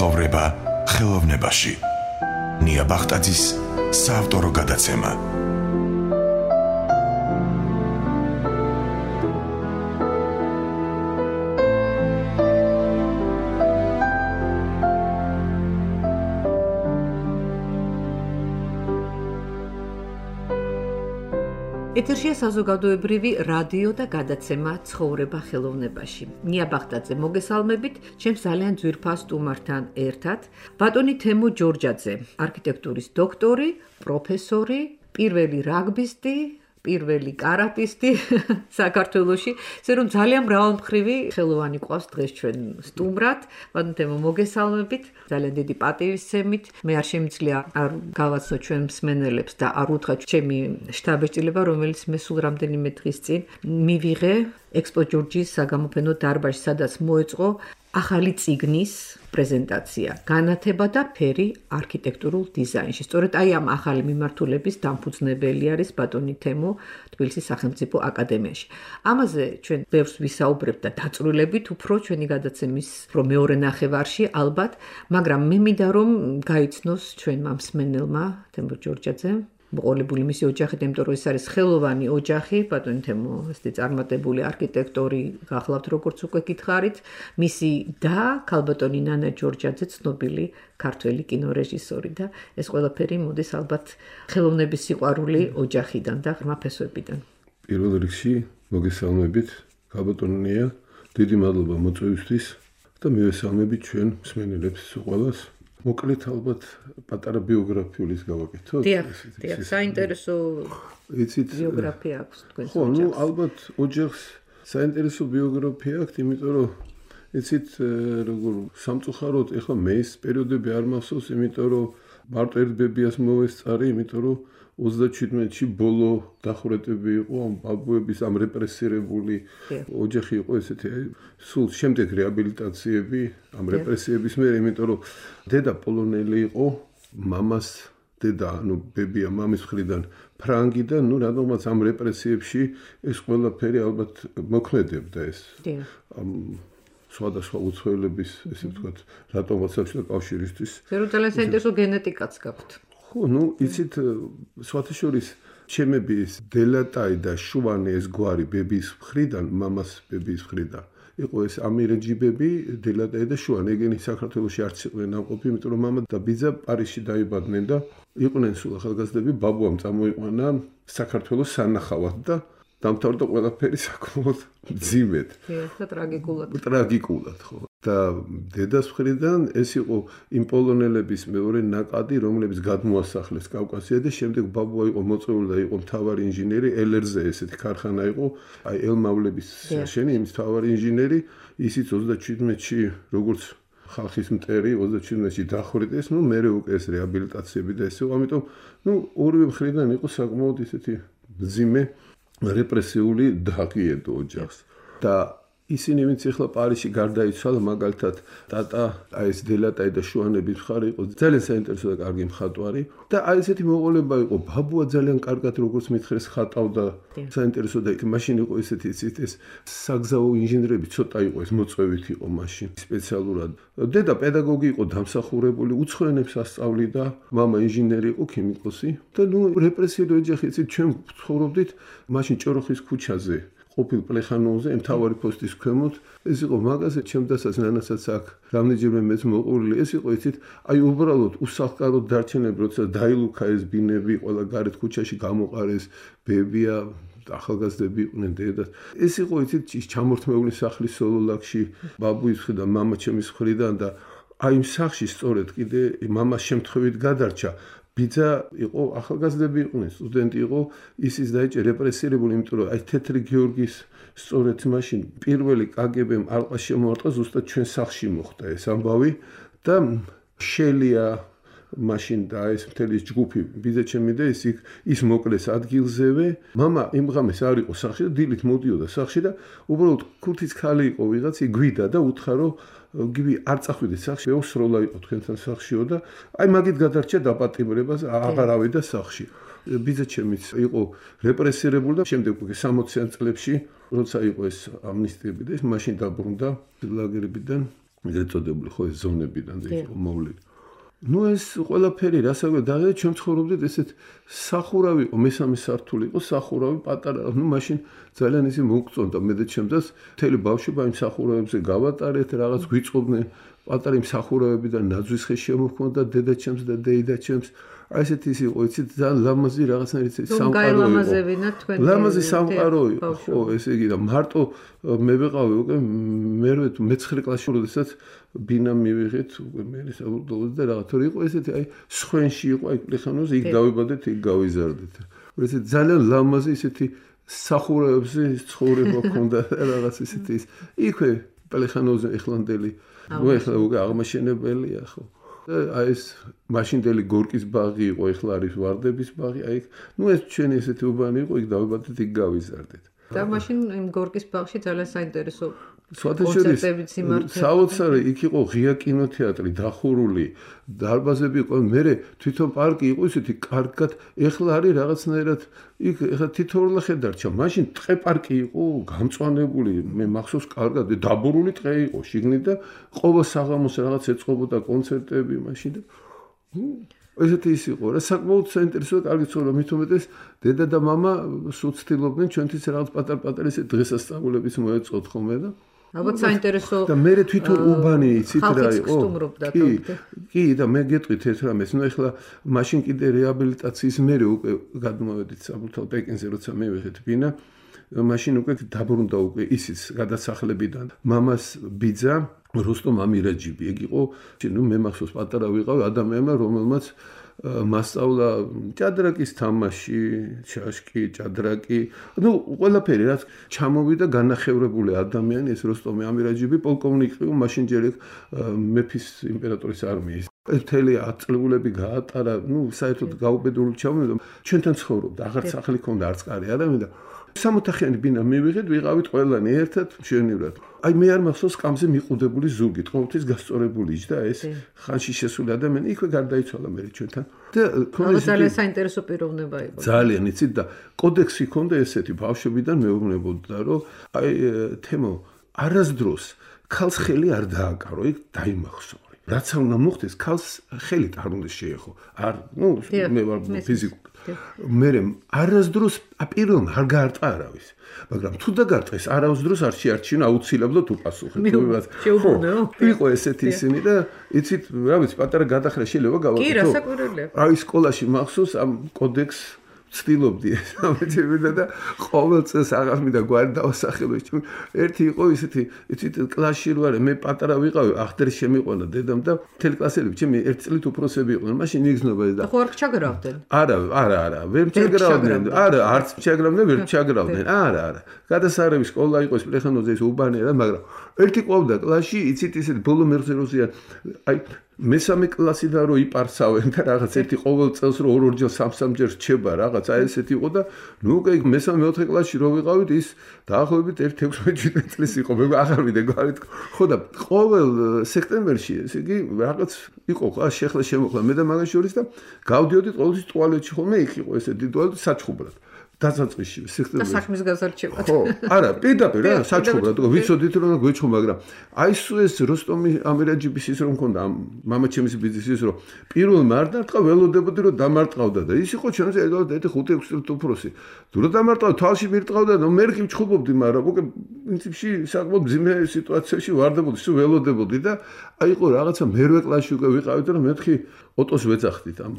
ცხოვრება ხელოვნებაში. ნია ბახტაძის საავტორო გადაცემა. ეთერშია საზოგადოებრივი რადიო და გადაცემა ცხოვრება ხელოვნებაში. ნია ბახტაძე მოგესალმებით, ჩემს ძალიან ძვირფას სტუმართან ერთად. ბატონი თემო ჯორჯაძე, არქიტექტურის დოქტორი, პროფესორი, პირველი რაგბისტი, პირველი კარატისტი საქართველოში. ისე რომ ძალიან მრავალმხრივი ხელოვანი ყავს დღეს ჩვენ სტუმრად. ბატონი თემო მოგესალმებით, ძალიან დიდი პატივისცემით. მე არ შემიძლია არ გავაცნო ჩვენ მსმენელებს და არ უთხრა ჩემი შტაბ-ეჭდილება, რომელიც მე სულ რამდენიმე დღის წინ მივიღე ექსპო ჯორჯის საგამოფენო დარბაზში, სადაც მოეწყო ახალი წიგნის პრეზენტაცია, განათება და ფერი არქიტექტურულ დიზაინში. სწორედ აი ამ ახალი მიმართულების დამფუძნებელი არის ბატონი თემო თბილისის სახელმწიფო აკადემიაში. ამაზე ჩვენ ბევრს ვისაუბრებთ და დაწვრილებით უფრო ჩვენი გადაცემის მეორე ნახევარში ალბათ, მაგრამ მე მინდა რომ გაიცნოს ჩვენმა მსმენელმა თემო ჯორჯაძე მოყოლებული მისი ოჯახი, იმიტომ რომ ეს არის ხელოვანი ოჯახი, ბატონი თემო ესეთი წარმატებული არქიტექტორი გახლავთ, როგორც უკვე გითხარით, მისი და ქალბატონი ნანა ჯორჯაძე ცნობილი ქართველი კინორეჟისორი და ეს ყველაფერი მოდის ალბათ ხელოვნების სიყვარული ოჯახიდან და ღრმა ფესვებიდან. პირველ რიგში მოგესალმებით, ქალბატონი ნია, დიდი მადლობა მოწვევისთვის და მივესალმებით ჩვენ მსმენელებს ყველას. მოკლედ ალბათ პატარა ბიოგრაფიulis გავაკეთოთ. დიახ, საინტერესო ბიოგრაფია აქვს თქვენს ოჯახს. ხო, ალბათ ოჯახს საინტერესო ბიოგრაფია აქვს, იმიტომ რომ იცით როგორ სამწუხაროდ ეხლა მე ეს პერიოდები არ მახსოვს, იმიტომ რომ მარტო ერთ ბებიას მოვესწარი, იმიტომ რომ 37-ში ბოლო დახურეტები იყო ამ ბაბუების ამ რეპრესირებული ოჯახი იყო ესეთი სულ შემდეგ რეაბილიტაციები ამ რეპრესიების მერე, იმიტომ რომ დედა პოლონელი იყო, მამას დედა ანუ ბებია მამის მხრიდან ფრანგი და ნუ რადგანაც ამ რეპრესიებში ეს ყველაფერი ალბათ მოქმედებდა ეს სხვადასხვა უცხოელების ესე ვთქვათ რატომაც საბჭოთა კავშირისთვის. ზერო ძალიან საინტერესო გენეტიკაც გაქვთ. ხო, იცით, სხვათა შორის ჩემების დელატაი და შუანი ეს გვარი ბების მხრიდან, მამას ბების მხრიდან. იყო ეს ამირეჯიბები, დელატაი და შუანი, ეგენი საქართველოში არც იყვნენ ამყოფი, იმიტომ რომ მამა და ბიძა პარიზში დაიბადნენ და იყვნენ სულ ახალგაზრდები, ბაბუამ წამოიყვანა საქართველოს სანახავად და დამთავრდა ყველაფერი საკმაოდ მძიმედ. და ტრაგიკულად. ტრაგიკულად, ხო. და დედას მხრიდან ეს იყო იმ პოლონელების მეორე ნაკადი, რომლებიც გადმოასახლეს კავკასია და შემდეგ ბაბუა იყო მოწვეული და იყო მთავარი ინჟინერი, ელერზე ესეთი ქარხანა იყო, აი ელმავლების შენი იმის მთავარი ინჟინერი, ისიც 37-ში როგორც ხალხის მტერი 37-ში დახვრიტეს, მერე უკვე ეს რეაბილიტაციები და ესე, ამიტომ ორივე მხრიდან იყო საკმაოდ ისეთი მძიმე რეპრესიული დაღიედო ოჯახს და ისინი ვინც ახლა პარიზში გარდაიცვალა, მაგალითად ტატა აი ეს დელატაი და შუანების მხარე იყო ძალიან საინტერესო და კარგი მხატვარი და აი ესეთი მოყოლება იყო, ბაბუა ძალიან კარგად როგორც მითხრეს ხატავდა, საინტერესო და მაშინ იყო ესეთი ეს საგზაო ინჟინერები ცოტა იყო, ეს მოწვევით იყო მაშინ სპეციალურად. დედა პედაგოგი იყო, დამსახურებული, უცხოენებს ასწავლიდა, მამა ინჟინერი იყო, ქიმიკოსი და რეპრესიული ოჯახი, იცით, ჩვენ ცხოვრობდით მაშინ ჭოროხის ქუჩაზე. ყოფილ პლეხანოვზე, მთავარი პოსტის ქვემოთ, ეს იყო მაღაზია, ჩემთასაც ნანასაც აქ რამდენჯერმე მეც მოყოლილი, ეს იყო იცით, აი უბრალოდ უსახლკაროდ დარჩენები, როცა დაილუქა ეს ბინები, ყველა გარეთ ქუჩაში გამოყარეს, ბებია, ახალგაზრდები იყვნენ დედა. ეს იყო იცით, ჩამორთმეული სახლი სოლოლაკში, ბაბუის მხრიდან, მამა ჩემის მხრიდან და აი იმ სახლში სწორედ კიდე მამას შემთხვევით გადარჩა. ბიძა იყო ახალგაზრდები იყვნენ, სტუდენტი იყო, ისიც დაიჭირა რეპრესირებული, იმიტომ რომ აი თეთრი გიორგის სწორედ მაშინ პირველი კგბ-მ ალყა შემოარტყა, ზუსტად ჩვენ სახლში მოხდა ეს ამბავი და შელია მაშინ და ეს მთელი ჯგუფი ბიძა ჩემი და ის მოკლეს ადგილზევე. მამა იმ ღამეს არ იყო სახლში და დილით მოდიოდა სახლში და უბრალოდ ქურთის ქალი იყო ვიღაც, იგვიდა და უთხრა რომ გივი არ წახვიდეთ სახლში, ეოსროლა იყო თქვენთან სახლშიო და აი მაგით გადარჩა დაპატიმრებას, აღარ ავიდა სახლში. ბიძა ჩემიც იყო რეპრესირებული და შემდეგ უკვე 60-იან წლებში, როცა იყო ეს ამნისტიები და ეს მაშინ დაბრუნდა ლაგერებიდან. ეგრეთ წოდებული ხო ეს ზონებიდან იყო მოვლილი. ეს ყველაფერი რასაკვირველია და ჩვენ ცხოვრობდით ესეთ სახურავი იყო მესამე სართული იყო სახურავი პატარა მაშინ ძალიან ისე მოგწონდა მე და ჩემს მთელი ბავშვობა იმ სახურავებზე გავატარეთ რაღაც გვიწყობდნენ პატარა იმ სახურავებიდან ნაძვის ხე შემოხმოდა დედა ჩემს და დეიდა ჩემს აი ესეთი ის იყო იცით ძალიან ლამაზი რაღაცნაირად სამყარო იყო ლამაზი სამყარო იყო ხო ესე იგი და მარტო მე ვიყავი უკვე მე-9 კლასში როდესაც ბინა მივიღეთ უკვე მე საბოლოოდ და რაღაც თორე იყო ესეთი აი სხვენში იყო აი პლეხანოზე იქ დავიბადეთ იქ გავიზარდეთ ესეთი ძალიან ლამაზი ესეთი სახურავებზე ცხოვრება ქონდა რაღაც ესეთი ის იქვე პლეხანოზე ეხლანდელი ნუ ეხლა უკვე აღმაშენებელია ხო აი ეს მაშინდელი გორკის ბაღი იყო ეხლა არის ვარდების ბაღი აი ნუ ეს ჩვენი ესეთი უბანი იყო იქ დავიბადეთ იქ გავიზარდეთ და მაშინ იმ გორკის ბაღში ძალიან საინტერესო კონცერტებიც იმართებოდა. საოცარი იქ იყო ღია კინოთეატრი, დახურული, დარბაზები იყო. მე თვითონ პარკი იყო ისეთი კარგად, ეხლა არის რაღაცნაირად იქ ეხლა თითოეულ ხედარჩა. მაშინ ტყე პარკი იყო, გამწვანებული, მე მახსოვს კარგად, დაბურული ტყე იყო შიგნით და ყოველ საღამოს რაღაც ეწყობოდა კონცერტები მაშინ და ესეთი ის იყო რა საკმაოდ საინტერესო კარგი ცხოვრება მით უმეტეს დედა და მამა სულ ცდილობდნენ ჩვენთვის რაღაც პატარ-პატარ ესე დღესასწაულების მოეწყოთ ხოლმე და ალბათ საინტერესო და მე თვითონ უბანი იცით რა იყო კი და მე გეტყვით ეს რამეს ნუ ეხლა მაშინ კიდე რეაბილიტაციის მერე უკვე გადმოვედით საბურთალ პეკინზე როცა მივიღეთ ბინა მაშინ უკვე დაბრუნდა უკვე ისიც გადასახლებიდან მამას ბიძა როსტომ ამირაჯიბი ეგ იყო ნუ მე მახსოვს პატარა ვიყავი ადამიანმა რომელმაც მასწავლა ჭადრაკის თამაში, ჩაშკი, ჭადრაკი, ნუ ყველაფერი რაც ჩამოვიდა განახევრებული ადამიანი ეს როსტომი ამირაჯიბი პოლკოვნიკი იყო მაშინ ჯერ მეფის იმპერატორის არმიის. მთელი აწლულები გაატარა, ნუ საერთოდ გაუბედურული ჩამოვიდა. ჩვენთან ცხოვრობდა, აღარ სახლი ქონდა, არც კარი ადამიანი და 60-ხიანი ბინა მივიღეთ, ვიყავით ყველანი ერთად მშვენივრად. აი მე არ მახსოვს კამზე მიყუდებული ზუგი, ყოველთვის გასწორებული და ეს ხანში შესული ადამიანი იქვე გარდაიცვალა მე ჩვენთან. და ძალიან საინტერესო პიროვნება იყო. ძალიან იცით და კოდექსი ქონდა ესეთი ბავშვებიდან მეუბნებოდა რომ აი თემო არასდროს ქალს ხელი არ დააკარო, იქ დაიმახსო. რაც უნდა მოხდეს, ქალს ხელით არ უნდა შეეხო. არ, ნუ მე ვარ ფიზიკურ მე არასდროს პირველმა არ გაარტყა არავის მაგრამ თუ დაგარტყეს არასდროს არ შეარჩინა აუცილებლად უპასუხეთ იყო ესეთი ისინი და იცით რა ვიცი პატარა გადახრა შეიძლება გავაკეთო კი რასაკვირველია აი სკოლაში მახსოვს ამ კოდექს ცდილობდი ამეთებინა და ყოველ წელს აღარ მინდა გვარი დავასახელო ერთი იყო ისეთი იცით კლასში ვარ მე პატარა ვიყავი ახდერი შემიყვანა დედამ და მთელი კლასელები ჩემი ერთ წლით უფროსები იყვნენ მაშინ იგზნობა და ხო არ ჩაგრავდნენ არა ვერ ჩაგრავდნენ არა არც ჩაგრავდნენ ვერ ჩაგრავდნენ არა გადასარევი სკოლა იყო ეს პლეხანოზე ის უბანი რა მაგრამ ერთი ყვავდა კლასში იცით ისეთი ბოლო მერზეროზიან აი მესამე კლასიდან რო იპარსავენ და რაღაც ერთი ყოველ წელს რო ორ-ორჯერ სამ-სამჯერ რჩება რაღაც აი ესეთი იყო და ნუ უკვე მესამე-მეოთხე კლასში რო ვიყავით ის დაახლოებით 16-17 წლის იყო მე აღარ ვიდე გვარით ხო და ყოველ სექტემბერში ესე იგი რაღაც იყო ხა შეხლა შემოხლა მე და მაგას შორის და გავდიოდით ყოველთვის ტუალეტში ხოლმე იქ იყო ესეთი ტუალეტი საჩხუბრად დასაწყისში სექტემბერში საქმის გასარჩევად ხო არა პირდაპირ რა საჩხუბრად ვიცოდით რომ გვეჩხო მაგრამ აი ეს როსტომი ამირაჯიბის ის რომ მქონდა მამაჩემის ბიზნეს ის რომ პირველმა არ დარტყა ველოდებოდი რომ დამარტყავდა და ის იყო ჩვენზე ეგალად 5-6 წელს უფროსი თუ რომ დამარტყავდა თვალში მირტყავდა და მე კი ვჩხუბობდი მაგრამ უკვე პრინციპში საკმაოდ ძიმე სიტუაციაში ვარდებოდი სულ ველოდებოდი და აი იყო რაღაცა მერვე კლასში უკვე ვიყავით და მეთქი ოტოს ვეძახდით ამ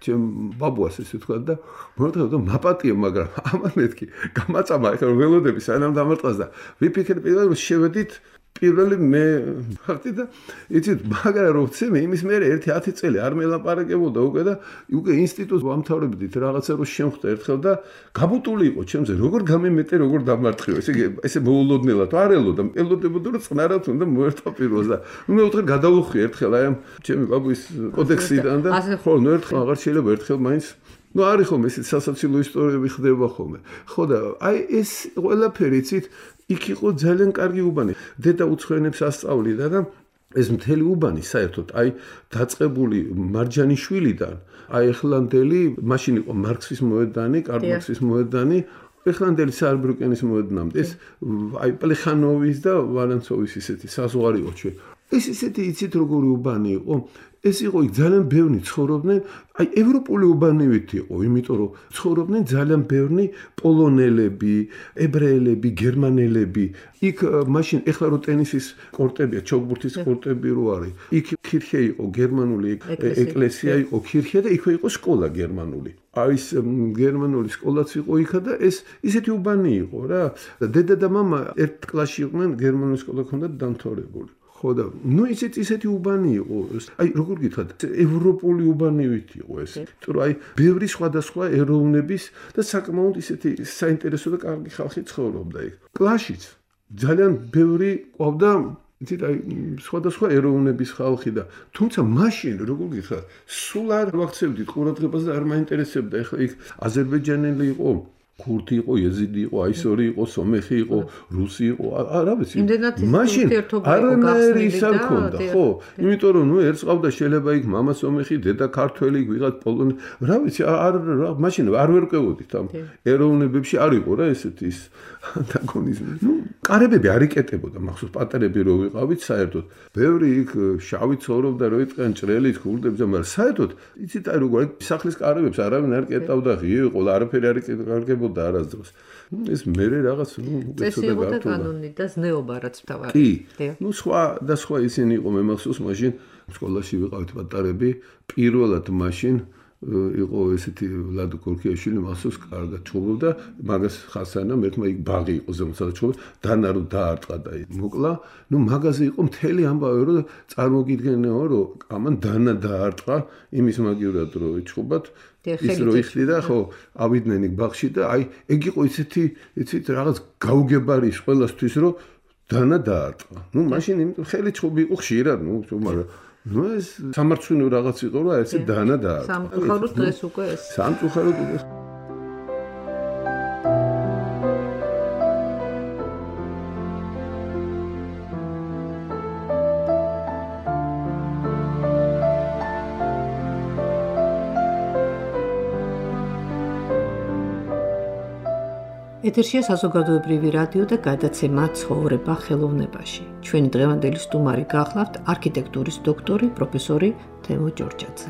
ჩემ ბაბუას ესე თქვა და მომეთქე და მაპატია მაგრამ ამან მეთქი გამაწამა ეხლა ველოდები სანამ დამარტყას და ვიფიქრე პირველად შევედით პირველი მე ფაქტი და იცით მაგრამ რო ვცემე იმის მერე 1-10 წელი არ მელაპარაკებოდა უკვე და უკვე ინსტიტუტს ვამთავრებდით რაღაცა რო შემხვდა ერთხელ და გაბუტული იყო ჩემზე როგორ გამემეტე როგორ დამარტყიო ესე მოულოდნელად არ ელოდა ელოდებოდა რომ წნარად უნდა მოერთვა პირველს და მე ვთქვი გადავუხვი ერთხელ აი ამ ჩემი ბაბუის კოდექსიდან და ხო ნუ ერთხელ აღარ შეიძლება ერთხელ მაინც ნუ არის ხოლმე ესეთ სასაცილო ისტორიები ხდება ხოლმე ხო და აი ეს ყველაფერი იცით იქ იყო ძალიან კარგი უბანი. დედა უცხოენებს ასწავლიდა და ეს მთელი უბანი საერთოდ აი დაწყებული მარჯანიშვილიდან აი ეხლანდელი მაშინ იყო მარქსის მოედანი, კარლ მარქსის მოედანი, ეხლანდელი საერბრუკენის მოედნამდე ეს აი პლეხანოვის და ვალენცოვის ისეთი საზღვარი იყო ჩვენ. ეს ისეთი იცით როგორი უბანი იყო? ეს იყო ძალიან ბევრი ცხოვრობდნენ, აი ევროპული უბანივით იყო, იმიტომ რომ ცხოვრობდნენ ძალიან ბევრი პოლონელები, ებრაელები, გერმანელები. იქ მაშინ ეხლა რო ტენისის კორტებია, ჩოგბურთის კორტები რო არის. იქ ქირხე იყო გერმანული ეკლესია იყო ქირხე და იქვე იყო სკოლა გერმანული. აი ეს გერმანული სკოლაც იყო იქა და ეს ისეთი უბანი იყო რა. დედა და მამა ერთ კლასში იყვნენ, გერმანული სკოლა ჰქონდათ დამთავრებული. ხო და ნუ ისეთი უბანი იყო. აი როგორ გითხრათ, ევროპული უბანივით იყო ეს. იმიტომ რომ აი ბევრი სხვადასხვა ეროვნების და საკმაოდ ისეთი საინტერესო და კარგი ხალხი ცხოვრობდა იქ. კლასშიც ძალიან ბევრი ყავდა იცით აი სხვადასხვა ეროვნების ხალხი და თუმცა მაშინ როგორ გითხრათ, სულ არ ვაქცევდით ყურადღებას და არ მაინტერესებდა. ეხლა იქ აზერბაიჯანელი იყო, ქურთი იყო, იეზიდი იყო, აისორი იყო, სომეხი იყო, რუსი იყო, არა ვიცი. მაშინ არანაირი ის არ ქონდა, ხო? იმიტომ რომ ნუ ერთს ყავდა შეიძლება იქ მამა სომეხი, დედა ქართველი, ვიღაც პოლონელი, რა ვიცი, მაშინ არ ვერ ყვევოდით ამ ეროვნებებში არ იყო რა ესეთი ის ანტაგონიზმი. ნუ კარებები არ იკეტებოდა, მახსოვს პატარები რო ვიყავით საერთოდ. ბევრი იქ შავი ცხოვრობდა, რო იწყენ ჭრელით, ქურდებს, მაგრამ საერთოდ იცით აი როგორ სახლის კარებებს არავინ არ კეტავდა, ღია იყო, არაფერი არ იკეტავდა არასდროს. ეს მერე რაღაც წესი იყო და კანონი და ზნეობა რაც თავარი. კი. ნუ სხვა ისინი იყო, მე მახსოვს მაშინ სკოლაში ვიყავით პატარები, პირველად მაშინ იყო ესეთი ლადო კორქიაშვილი მახსოვს კარგად ჩხუბობდა, მაგას ხასანამ ერთმა იქ ბაღი იყო ზემოთ ჩხუბობდა, დანარო დაარტყა და მოკლა. ნუ მაგაზე იყო მთელი ამბავი, რომ წარმოგიდგენეო, რომ ამან დანა დაარტყა იმის მაგივრად რომ ჩხუბათ. ის რო იხდიდა ხო ავიდნენ იქ ბაღში და აი ეგ იყო ისეთი იცით რაღაც გაუგებარი ყველასთვის რომ დანა დაარტყა. ნუ მაშინ იმიტომ ხელი ჩხუბი იყო ხშირად, ნუ მაგრამ ნუ ეს სამარცხვინო რაღაც იყო რომ ესე დანა დაარტყა. სამწუხაროდ დღეს უკვე ეს. სამწუხაროდ უკვე ეთერშია საზოგადოებრივი რადიო და გადაცემა ცხოვრება ხელოვნებაში. ჩვენი დღევანდელი სტუმარი გახლავთ არქიტექტურის დოქტორი, პროფესორი თემო ჯორჯაძე.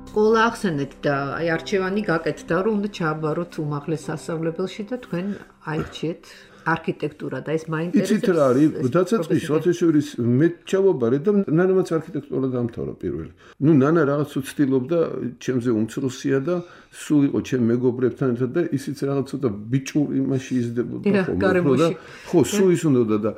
სკოლა ახსენეთ და აი არჩევანი გაკეთდა, რომ უნდა ჩააბაროთ უმაღლეს სასწავლებელში და თქვენ აირჩიეთ არქიტექტურა და ეს მაინტერესებს. იცით რა არის, დაცაწყის სოციალისტების მე ჩავაბარე და ნანამაც არქიტექტურა დამთავრა პირველი. ნუ ნანა რაღაც უცდილობდა, ჩემზე უმცროსია და სულ იყო ჩემ მეგობრებთან ერთად და ისიც რაღაც ცოტა ბიჭური იმაში იზრდებოდა ხო. ხო, სულ ის უნდა და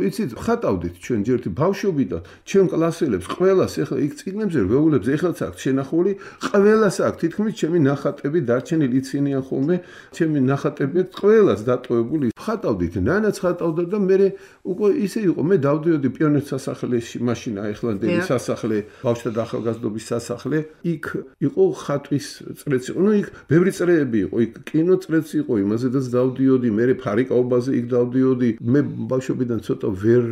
იცით, ხატავდით ჩვენ ჯერტი ბავშვობიდან, ჩვენ კლასელებს ყველას ეხლა იქ წიგნებზე ვეულებს, ეხლაც აქვს შენახული, ყველას აქვს თითქმის ჩემი ნახატები დარჩენილი იცინიან ხოლმე, ჩემი ნახატები ყველას დატოვებული. ხატავდით, ნანაც ხატავდა და მე უკვე ისე იყო, მე დავდიოდი პიონერთა სასახლეში, მაშინ აიხლანდელი სასახლე, ბავშვთა და ახალგაზრდობის სასახლე, იქ იყო ხატვის წრეც იყო, ნუ იქ ბევრი წრეები იყო, იქ კინო წრეც იყო, იმაზედაც დავდიოდი, მე ფარიკაობაზე იქ დავდიოდი, მე ბავშვობიდან ცოტა ვერ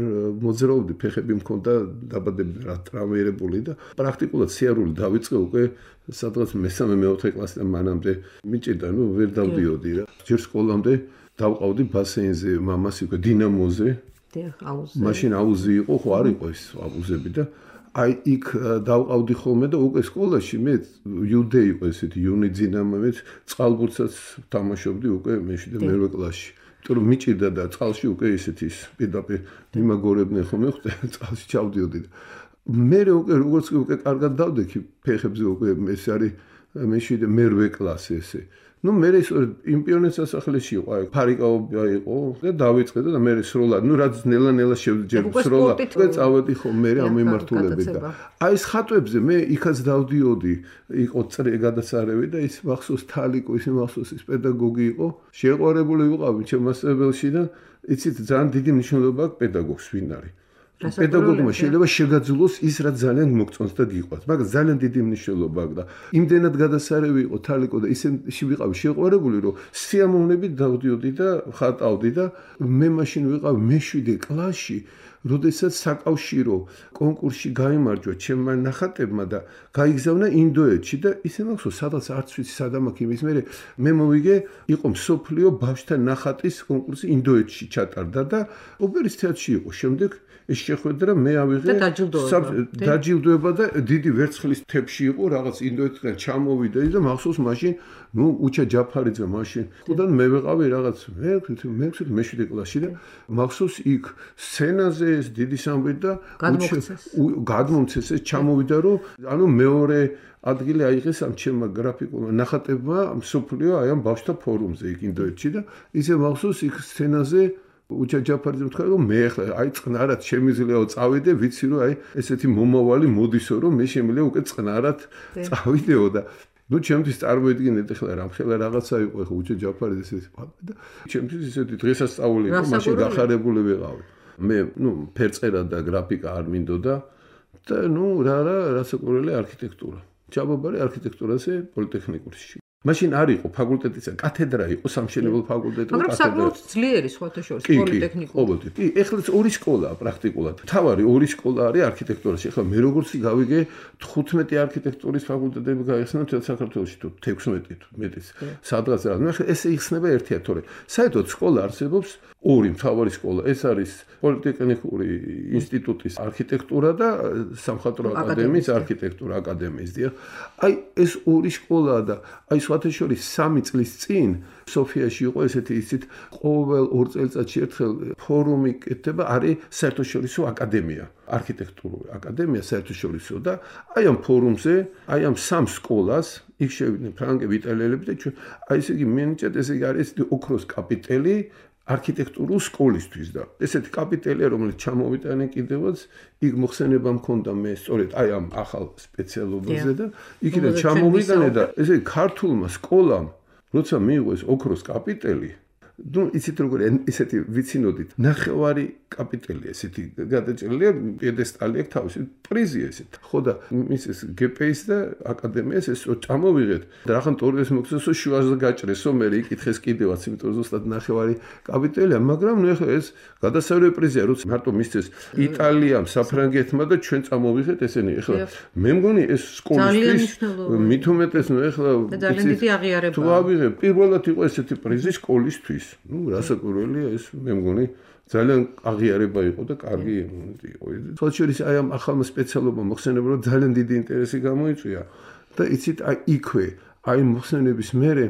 მოძრაობდი, ფეხები მქონდა დაბადებული რა ტრავმირებული და პრაქტიკულად სიარული დავიწყე უკვე სადღაც მე-3-4 კლასიდან მანამდე მიჭირდა, ნუ ვერ დავდიოდი რა. ჯერ სკოლამდე დავყავდი ბასეინზე, მამას იყო დინამოზე. მაშინ აუზი იყო, ხო არ იყო ეს აუზები და აი იქ დავყავდი ხოლმე და უკვე სკოლაში მე იუდე იყო ესეთი იუნი დინამოებს, წყალბურთსაც თამაშობდი უკვე მე-7 მერვე კლასში. იმიტომ რომ მიჭირდა და წყალში უკვე ესეთი პირდაპირ იმაგორებდნენ ხოლმე, წყალში ჩავდიოდი და მე უკვე როგორც უკვე კარგად დავდექი ფეხებზე უკვე ეს არის მე-7 მერვე კლასი ესე. ნუ მე იმ პიონერთა სასახლეში იყო, აი ფარიკაობა იყო და დავიწყე და მე სრულად, ნუ რაც ნელა-ნელა შევძებ სრულად. უკვე წავედი ხო მე ამ მიმართულებით და აი ეს ხატვებზე მე იქაც დავდიოდი, იყო წრე გადასარევი და ის მახსოვს თალიკო, ის მახსოვს ის პედაგოგი იყო, შეყვარებული ვიყავი ჩემ მასწავლებელში და იცით ძალიან დიდი მნიშვნელობა აქვს პედაგოგს ვინ არის. პედაგოგმა შეიძლება შეგაძლოს ის რაც ძალიან მოგწონს და გიყვარს, მაგრამ ძალიან დიდი მნიშვნელობა აქვს და იმდენად გადასარევი იყო თალიკო და ისე ვიყავი შეყვარებული, რომ სიამოვნებით დავდიოდი და ხატავდი და მე მაშინ ვიყავი მე-7 კლასში, როდესაც საკავშირო კონკურსში გაიმარჯვა ჩემმა ნახატებმა და გაიგზავნა ინდოეთში და ისე მახსოვს სადაც არც ვიცი სადამაკ იმის მე მოვიგე იყო მსოფლიო ბავშვთა ნახატის კონკურსი ინდოეთში ჩატარდა და ოპერის თეატრში იყო შემდეგ ეს შეხვედრა მე ავიღე დაჯილდოება და დიდი ვერცხლის თეფში იყო რაღაც ინდოეთიდან ჩამოვიდა და მახსოვს მაშინ უჩა ჯაფარიძე მაშინ ხუდან მე ვეყავი რაღაც მე-7 კლასში და მახსოვს იქ სცენაზე ეს დიდი სამბი და გადმომცეს ეს ჩამოვიდა რომ ანუ მეორე ადგილი აიღეს ამ ჩემმა გრაფიკულმა ნახატებმა მსოფლიო აი ამ ბავშვთა ფორუმზე იქ ინდოეთში და ისე მახსოვს იქ სცენაზე უჩა ჯაფარიძე თქვა რომ მე ახლა აი წყნარად შემიძლიაო წავიდე ვიცი რომ აი ესეთი მომავალი მოდისო რომ მე შემიძლია უკვე წყნარად წავიდეო და ჩემთვის წარმოიდგინეთ ახლა რამხელა რაღაცა იყო ახლა უჩა ჯაფარიძე ეს და ჩემთვის ისეთი დღესასწაული იყო მაშინ გახარებული ვიყავი მე ფერწერა და გრაფიკა არ მინდოდა და რასაკვირველი არქიტექტურა ჩაბობარი არქიტექტურაზე პოლიტექნიკურში მაშინ არ იყო ფაკულტეტისა კათედრა იყო სამშენებლო ფაკულტეტი მაგრამ საკმაოდ ძლიერი სხვათა შორის პოლიტექნიკური კი ეხლა ორი სკოლაა პრაქტიკულად თავარი ორი სკოლა არის არქიტექტურაში ეხლა მე როგორც გავიგე 15 არქიტექტურის ფაკულტეტები გაიხსნა თელ საქართველოში თუ 16 თუ მეტიც სადღაც რა ნუ ეხლა ესე იხსნება ერთია თორე საერთოდ სკოლა არსებობს ორი მთავარი სკოლა ეს არის პოლიტექნიკური ინსტიტუტის არქიტექტურა და სამხატვრო აკადემიის არქიტექტურა აკადემიის დიახ აი ეს ორი სკოლაა და აი სხვათა შორის 3 წლის წინ სოფიაში იყო ესეთი ისეთ ყოველ 2 წელიწადში ერთხელ ფორუმი კეთდება არის საერთაშორისო აკადემია არქიტექტურული აკადემია საერთაშორისო და აი ამ ფორუმზე აი ამ 3 სკოლას იქ შევიდნენ ფრანგები იტალიელები და ჩვენ აი ესე იგი მინიჭეთ ესე იგი არის ოქროს კაპიტელი არქიტექტურულ სკოლისთვის და ესეთი კაპიტელია რომელიც ჩამოვიტანენ კიდევაც იქ მოხსენება მქონდა მე სწორედ აი ამ ახალ სპეციალობაზე და იქიდან ჩამოვიტანე და ესე ქართულმა სკოლამ როცა მიიღო ეს ოქროს კაპიტელი იცით როგორი ესეთი ვიცინოდით ნახევარი კაპიტელი ესეთი გადაჭრილია პიედესტალი აქვს თავისი პრიზი ესეთ ხო და მის ეს გპ-ის და აკადემიას ეს წამოვიღეთ და რახან ტორიეს მოგცესო შუაზე გაჭრესო მე იკითხეს კიდევაც იმიტომ რომ ზუსტად ნახევარი კაპიტელია მაგრამ ნუ ეხლა ეს გადასავლე პრიზია როცა მარტო მისცეს იტალიამ საფრანგეთმა და ჩვენ წამოვიღეთ ესენი ეხლა მე მგონი ეს სკოლისთვის მით უმეტეს ნუ ეხლა ძალიან დიდი აღიარება თუ ავიღე პირველად იყო ესეთი პრიზი სკოლისთვის რასაკვირველია ეს მე მგონი ძალიან აღიარება იყო და კარგი იყო. თორშორის აი ამ ახალმა სპეციალობამ მოხსენება რომ ძალიან დიდი ინტერესი გამოიწვია და იცით აი იქვე აი მოხსენების მერე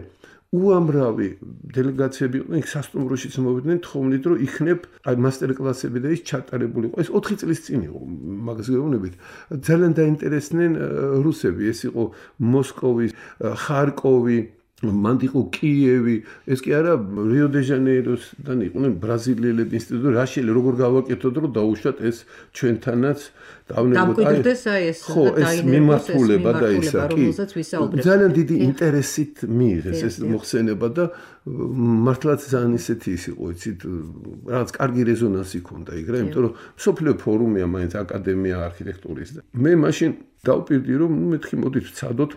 უამრავი დელეგაციები იყვნენ იქ სასტუმროშიც მოვიდნენ თხოვნით რომ იქნებ აი მასტერკლასები და ის ჩატარებული იყო. ეს 4 წლის წინ იყო მაგას გეუბნებით. ძალიან დაინტერესდნენ რუსები. ეს იყო მოსკოვი, ხარკოვი მანდ იყო კიევი, ეს კი არა რიო-დე-ჟანეიროსთან იყვნენ ბრაზილიელები ინსტიტუტი, რაშელი როგორ გავაკეთოთ რომ დაუშვათ ეს ჩვენთანაც დამკვიდრდეს აი ეს მიმართულება და ისა კი ძალიან დიდი ინტერესით მიიღეს ეს მოხსენება და მართლაც ძალიან ისეთი ის იყო იცით რაღაც კარგი რეზონანსი ჰქონდა იქ რა იმიტომ რომ სოფლიო ფორუმია მაინც აკადემია არქიტექტურის და მე მაშინ დავპირდი რომ მეთქი მოდით ვცადოთ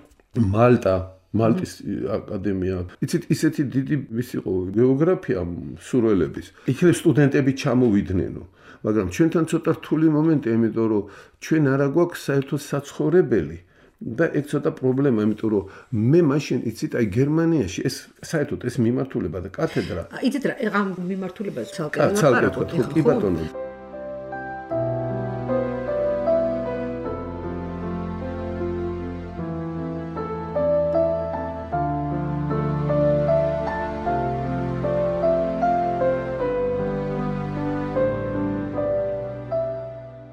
მალტის აკადემია. იცით ისეთი დიდი ვის იყო გეოგრაფია სურველების. იქნებ სტუდენტები ჩამოვიდნენო. მაგრამ ჩვენთან ცოტა რთული მომენტია, იმიტომ რომ ჩვენ არა გვაქვს საერთოდ საცხოვრებელი და ეგ ცოტა პრობლემა, იმიტომ რომ მე მაშინ იცით აი გერმანიაში ეს საერთოდ ეს მიმართულება და კათედრა. იცით რა, ამ მიმართულებას ცალკე კი ბატონო.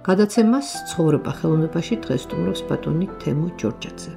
გადაცემას ცხოვრება ხელოვნებაში დღეს სტუმრობს ბატონი თემო ჯორჯაძე.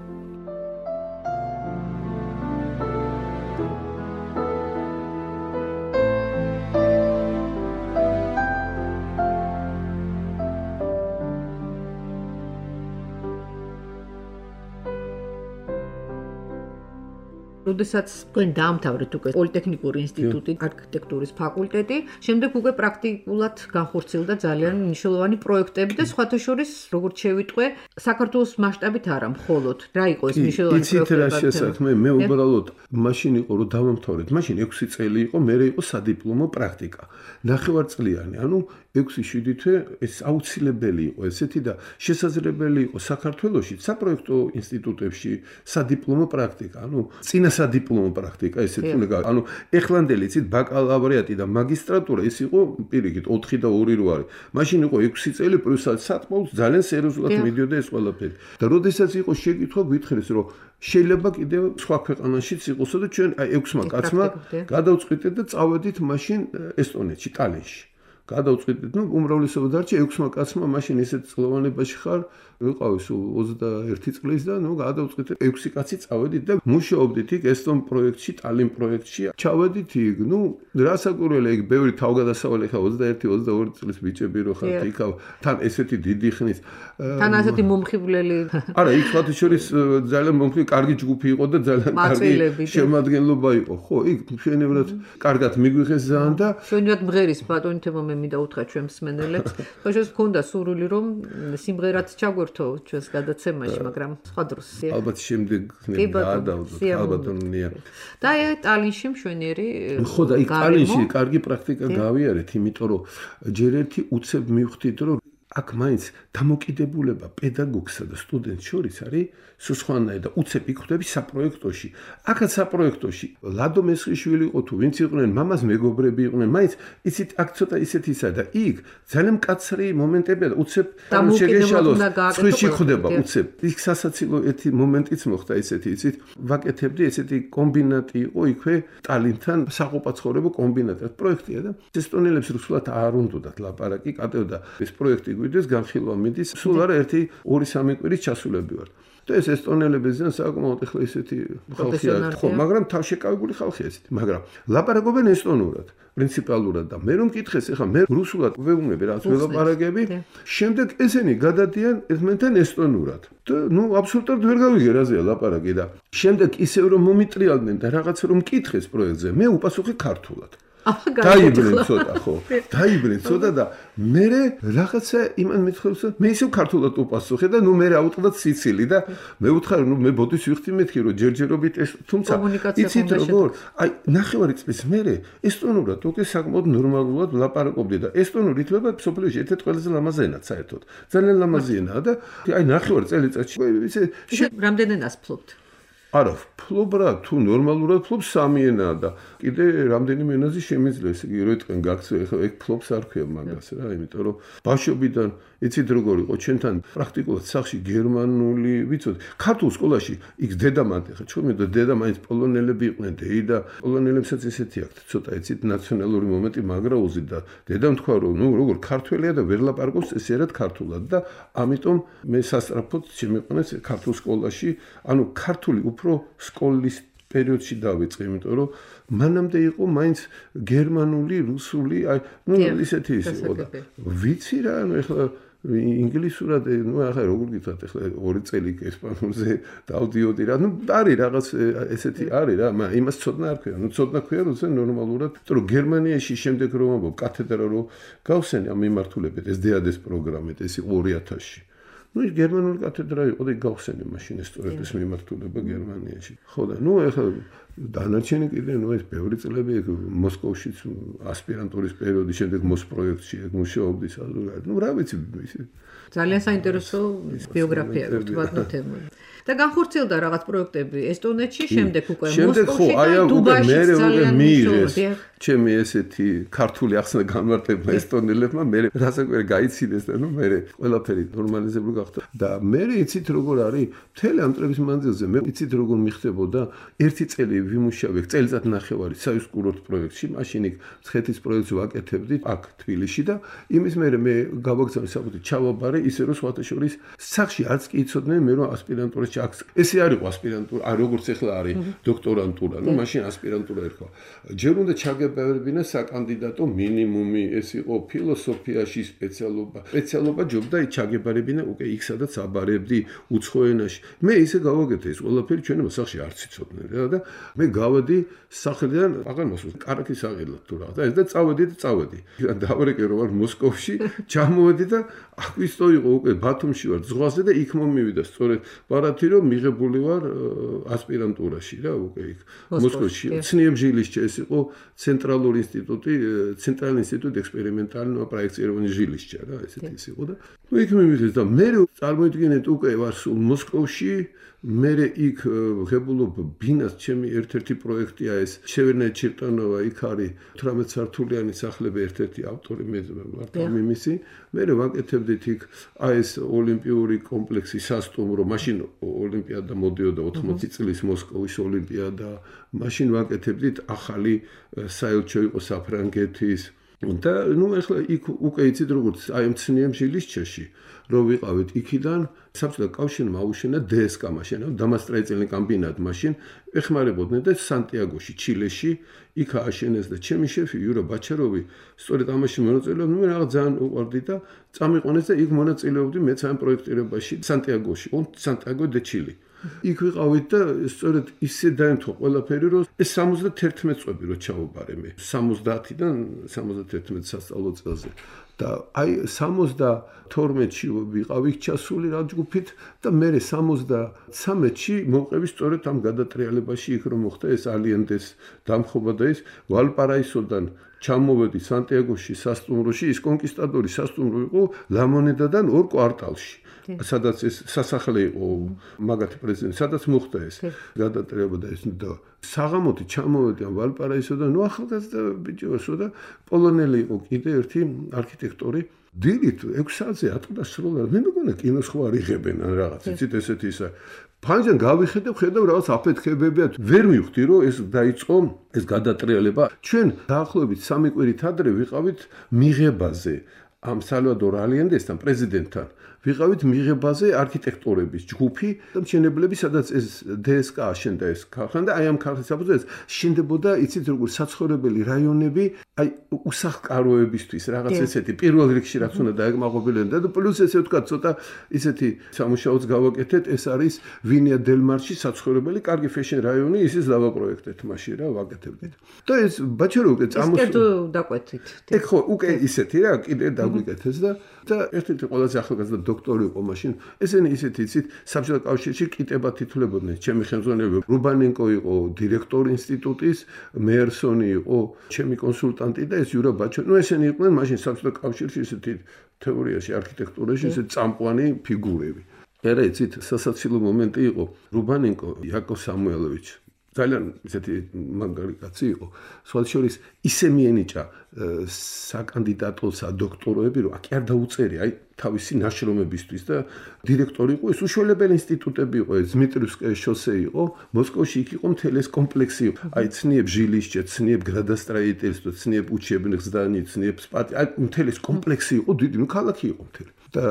როდესაც თქვენ დაამთავრეთ უკვე პოლიტექნიკური ინსტიტუტი, არქიტექტურის ფაკულტეტი, შემდეგ უკვე პრაქტიკულად განხორციელდა ძალიან მნიშვნელოვანი პროექტები და სხვათა შორის, როგორც შევიტყვე, საქართველოს მასშტაბით არა, მხოლოდ რა იყო ეს მნიშვნელოვანი პროექტები? იცით რა შესაქმე, მე უბრალოდ მაშინ იყო რომ დავამთავრეთ, მაშინ 6 წელი იყო, მე იყო სადიპლომო პრაქტიკა. 9 წლიანი, ანუ 6-7 თვე ეს აუცილებელი იყო ესეთი და შესაძლებელი იყო საქართველოში საპროექტო ინსტიტუტებში სადიპლომო პრაქტიკა, ანუ წინა სადიპლომო პრაქტიკა ესეთი უნდა, ანუ ეხლანდელი იცით ბაკალავრიატი და მაგისტრატურა ის იყო პირიქით 4 და 2 რო არის. მაშინ იყო 6 წელი პლუს სატყმოს ძალიან სერიოზულად მიდიოდა ეს ყველაფერი. და როდესაც იყო შეკითხვა გვითხრეს რომ შეიძლება კიდევ სხვა ქვეყანაშიც იყოსო და ჩვენ აი 6-მა კაცმა გადავწყვიტეთ და წავედით მაშინ ესტონეთში, ტალინში. გადავწყვიტეთ, უმრავლესობა დარჩა 6-მა კაცმა, მაშინ ისეთ წლოვანებაში ხარ, ვიყავი სულ 21 წლის და გადავწყვიტეთ 6 კაცი წავედით და მუშაობდით იქ ესტონ პროექტში, ტალინ პროექტში. ჩავედით იქ, რასაკვირველია, იქ ბევრი თავგადასავალი ხა 21-22 წლის ბიჭები რო ხართ იქ, თან ესეთი დიდი ხნის. თან ასეთი მომხიბვლელი. არა, იქ სხვათა შორის ძალიან მომხიბვლელი, კარგი ჯგუფი იყო და ძალიან კარგი შემადგენლობა იყო. ხო, იქ მშვენივრად კარგად მიგვიღეს ძალიან და მშვენივრად მღერის ბატონი თემო მე მინდა უთხრა ჩვენ მსმენელებს. ხოშოს გქონდა სურვილი რომ სიმღერაც ჩაგვერთო ჩვენს გადაცემაში, მაგრამ სხვა დროს. ალბათ შემდეგ გადავდოთ, ალბათ ნია. და ტალინში მშვენიერი. ხო და იქ ტალინში კარგი პრაქტიკა გავიარეთ, იმიტომ რომ ჯერ ერთი უცებ მივხვდით რომ აქ მაინც დამოკიდებულება პედაგოგსა და სტუდენტს შორის არის სხვანაირად და უცებ იქხვდები საპროექტოში. აქაც საპროექტოში ლადო მესხიშვილი იყო თუ ვინც იყვნენ, მამას მეგობრები იყვნენ, მაინც იცით აქ ცოტა ისეთისა და იქ ძალიან მკაცრი მომენტებია და უცებ შეგეშალოს სხვიში ხვდება უცებ. იქ სასაცილო ერთი მომენტიც მოხდა ესეთი, იცით, ვაკეთებდი ესეთი კომბინატი იყო იქვე ტალინთან საყოფაცხოვრებო კომბინატი. პროექტია და ესტონელებს რუსულად არ უნდათ ლაპარაკი, კატევდა ეს პროექტი გვიდეს განხილვა მიდის, სულ არა 1-2-3 კვირის ჩასულები ვარ. და ეს ესტონელები ზენ საკმაოდ ახლა ისეთი ხალხია, ხო, მაგრამ თავშეკავებული ხალხია ესეთი, მაგრამ ლაპარაკობენ ესტონურად, პრინციპალურად და მე რომ მკითხეს, ახლა მე რუსულად ვეუბნები რაც ველაპარაკები, შემდეგ ესენი გადადიან ერთმანეთთან ესტონურად. და აბსოლუტურად ვერ გავიგე რაზეა ლაპარაკი და შემდეგ ისევ რომ მომიტრიალდნენ და რაღაც რომ მკითხეს პროექტზე, მე უპასუხე ქართულად. დაიბრუნე ცოტა ხო დაიბრუნე ცოტა და მე რაღაცა იმან მithხოვს მე ისევ ქართულად უპასუხე და მე აუტყდა სიცილი და მე ვუთხარ მე ბოდის ვიხდი მეთქი რომ ჯერჯერობით ეს თუმცა იცით როგორ აი 9 წლის მერე ესტონურად უკვე საკმაოდ ნორმალურად ვლაპარაკობდი და ესტონური ითვლება სოფლიოში ერთ-ერთი ყველაზე ლამაზი ენად საერთოდ ძალიან ლამაზი ენაა და აი 9 წელიწადში ისე რამდენ ენას ფლობთ არა, ფლობ რა, თუ ნორმალურად ფლობ 3 ენაა და კიდე რამდენიმე ენაზე შემიძლია, ესე იგი, რო ეთქენ გაქცევა, ეხლა ეგ ფლობს არ ქვია მაგას რა, იმიტომ რომ ბავშვობიდან იცით როგორ იყო, ჩვენთან პრაქტიკულად სახლში გერმანული, ვიცოდი, ქართულ სკოლაში იქ დედამანთ, ეხლა ჩვენ მე დედა მაინც პოლონელები იყვნენ, და პოლონელებსაც ესეთი აქვთ, ცოტა იცით, ნაციონალური მომენტი მაგრაუზი და დედამ თქვა რომ, როგორ ქართველია და ვერ ლაპარაკობს ესერად ქართულად და ამიტომ მე სასწრაფოდ შემიყვანეს ქართულ სკოლაში, ანუ ქართული უფრო სკოლის პერიოდში დავიწყე, იმიტომ რომ მანამდე იყო მაინც გერმანული, რუსული, აი, ისეთი ის იყო და ვიცი რა, ეხლა ინგლისურად, ახლა როგორ გითხრათ, ეხლა 2 წელი ესპანურზე დავდიოდი რა, არის რაღაც ესეთი არის რა, მაგრამ იმას ცოდნა არ ქვია, ცოდნა ქვია როცა ნორმალურად, იმიტომ რომ გერმანიაში შემდეგ რომ ამბობ კათედრა რომ გავსენე ამ მიმართულებით, ეს დეადეს პროგრამით, ეს იყო 2000-ში. გერმანული კათედრა იყო და გავხსენე მაშინ სწორედ ეს მიმართულება გერმანიაში. ხო და ეხლა დანარჩენი კიდე ეს ბევრი წლები მოსკოვშიც ასპირანტურის პერიოდი, შემდეგ მოსპროექტში მუშაობდი საზოგადოებრივ. რა ვიცი ძალიან საინტერესო ბიოგრაფია ვთქვათ თემი. და განხორციელდა რაღაც პროექტები ესტონეთში, შემდეგ უკვე მოსკოვში და დუბაიში ძალიან მიიღეს. ჩემი ესეთი ქართული ახსნა განმარტება ესტონელებმა, მე რასაკვირი გაიცინეს და მე ყველაფერი ნორმალიზებული გახდა. და მე იცით როგორ არის, მთელი ამ წლების მანძილზე მე იცით როგორ მიხდებოდა, 1 წელი ვიმუშავე, წელიწად-ნახევარი საის კურორტ პროექტში, მაშინ იქ მცხეთის პროექტს ვაკეთებდი აქ თბილისში და იმის მერე მე გავაგზავნე საფუძველი ჩავაბარე, ისე რომ სხვათა შორის სახში არც კი იცოდნენ მე რომ ასპირანტურაში ესე არ იყო ასპირანტურა, როგორც ახლა არის დოქტორანტურა, მაშინ ასპირანტურა ერქვა. ჯერ უნდა ჩაგებერებინა საკანდიდატო მინიმუმი, ეს იყო ფილოსოფიაში სპეციალობა ჯობდა ჩაგებარებინა უკვე იქ სადაც აბარებდი უცხო ენაში. მე ისე გავაკეთე ეს ყველაფერი ჩვენმა სახში არც იცოდნენ რა და მე გავედი სახელიდან აღარ მოსულ კარაქის აღელად თუ რაღაც და ეს და წავედი დავარეკე რომ ვარ მოსკოვში ჩამოვედი და აკვისტო იყო უკვე ბათუმში ვარ ზღვაზე და იქ მომივიდა სწორედ ბარათი რომ მიღებული ვარ ასპირანტურაში რა უკვე იქ მოსკოვში ცნიებჟილიშჩე ეს იყო ცენტრალური ინსტიტუტი ექსპერიმენტალურ პროექტირований ჟილიშჩა რა ესეთი ის იყო და ნუ იქ მივიღეს და მე წარმოიდგინეთ უკვე ვარ სულ მოსკოვში მე იქ ღებულობ ბინას ჩემი ერთ-ერთი პროექტია ეს შევერნე ჩირტანოვა იქ არის 18 სართულიანი სახლები ერთ-ერთი ავტორი მე ვარ მიმისი მე ვაკეთებდით იქ ეს ოლიმპიური კომპლექსი სასტუმრო მაშინ ოლიმპიადა მოდიოდა 80 წლის მოსკოვის ოლიმპიადა მაშინ ვაკეთებდით ახალი საელჩო იყო საფრანგეთის და ნუ ახლა იქ უკვე იცით როგორც აი მცნიებჟილიშჩეში რომ ვიყავით იქიდან საბჭოთა კავშირმა აუშენა DSK მაშინ დამასტროительный კომბინატ მაშინ ეხმარებოდნენ და სანტიაგოში ჩილეში იქ ააშენეს და ჩემი შეფი იურა ბაჩაროვი სწორედ ამაში მონაწილეობდა მე რაღაც ძალიან უყვარდი და წამიყვანეს და იქ მონაწილეობდი მეც ამ პროექტირებაში სანტიაგოში სანტიაგო დე ჩილი იქ ვიყავით და სწორედ ისე დაემთხვა ყველაფერი რომ ეს 71 წლები რო ჩავაბარე მე 70-დან 71 სასწავლო წელზე და აი 72-ში ვიყავი ჩასული რა ჯგუფით და მე 73-ში მოვყევი სწორედ ამ გადატრიალებაში იქ რომ მოხდა ეს ალიენდეს დამხობა და ეს ვალპარაისოდან ჩამოვედი სანტიაგოში სასტუმროში ის კონკისტადორი სასტუმრო იყო ლამონედადან 2 კვარტალში სადაც ეს სასახლე იყო მაგათი პრეზიდენტი სადაც მოხდა ეს გადატრიალება და ეს და საღამოთი ჩამოვედი ამ ვალპარაისოდან ნუ ახალგაზრდა ბიჭოსო და პოლონელი იყო კიდე ერთი არქიტექტორი დილით 6 საათზე ატყდა სრულად მე მეგონა კინოს ხო არ იღებენ ან რაღაც იცით ესეთი ისა ფანჯან გავიხედე ხედავ რაღაც აფეთქებებია ვერ მივხვდი რომ ეს დაიწყო ეს გადატრიალება ჩვენ დაახლოებით 3 კვირით ადრე ვიყავით მიღებაზე ამ სალვადორ ალიენდესთან პრეზიდენტთან ვიყავით მიღებაზე არქიტექტორების ჯგუფი და მშენებლები სადაც ეს DSK აშენდა ეს ქარხანა და აი ამ ქარხნის საფუძველზე შენდებოდა იცით როგორ საცხოვრებელი რაიონები აი უსახლკაროებისთვის რაღაც ესეთი პირველ რიგში რაც უნდა დაეკმაყოფილებინა და პლუს ესე ვთქვა ცოტა ისეთი სამუშაოც გავაკეთეთ ეს არის ვინია დელ-მარში საცხოვრებელი კარგი ფეშენ რაიონი ისიც დავაპროექტეთ მაშინ რა ვაკეთებდით და ეს ბაჩარო უკვე წამოსულ დაკვეთით ეგ ხო უკვე ისეთი რა კიდე დაგვიკეთეს და ერთ-ერთი ყველაზე ახალგაზრდა დოქტორი იყო მაშინ ესენი ისეთი იცით საბჭოთა კავშირში კიტებად თითულებოდნენ ჩემი ხელმძღვანელი რუბანენკო იყო დირექტორი ინსტიტუტის მეერსონი იყო ჩემი კონსულტანტი და ეს იურა ბაჩო ნუ ესენი იყვნენ მაშინ საბჭოთა კავშირში ისეთი თეორიაში არქიტექტურაში ესეთი წამყვანი ფიგურები ერა იცით სასაცილო მომენტი იყო რუბანენკო იაკოვ სამუელოვიჩი ძალიან ისეთი მაგარი კაცი იყო სხვათა შორის ისე მიენიჭა საკანდიდატო სადოქტოროები რომ აქ არ დაუწერია აი თავისი ნაშრომებისთვის და დირექტორი იყო ეს უშუალებელი ინსტიტუტები იყო ეს დმიტრიევსკაია შოსე იყო მოსკოვში იქ იყო მთელი ეს კომპლექსი აი ცნიებ ჟილიშჩე ცნიებ გრადასტრაიტელსტო ცნიებ უჩებნიხ ზდანი ცნიებ სპატი აი მთელი ეს კომპლექსი იყო დიდი ნუ ქალაქი იყო მთელი და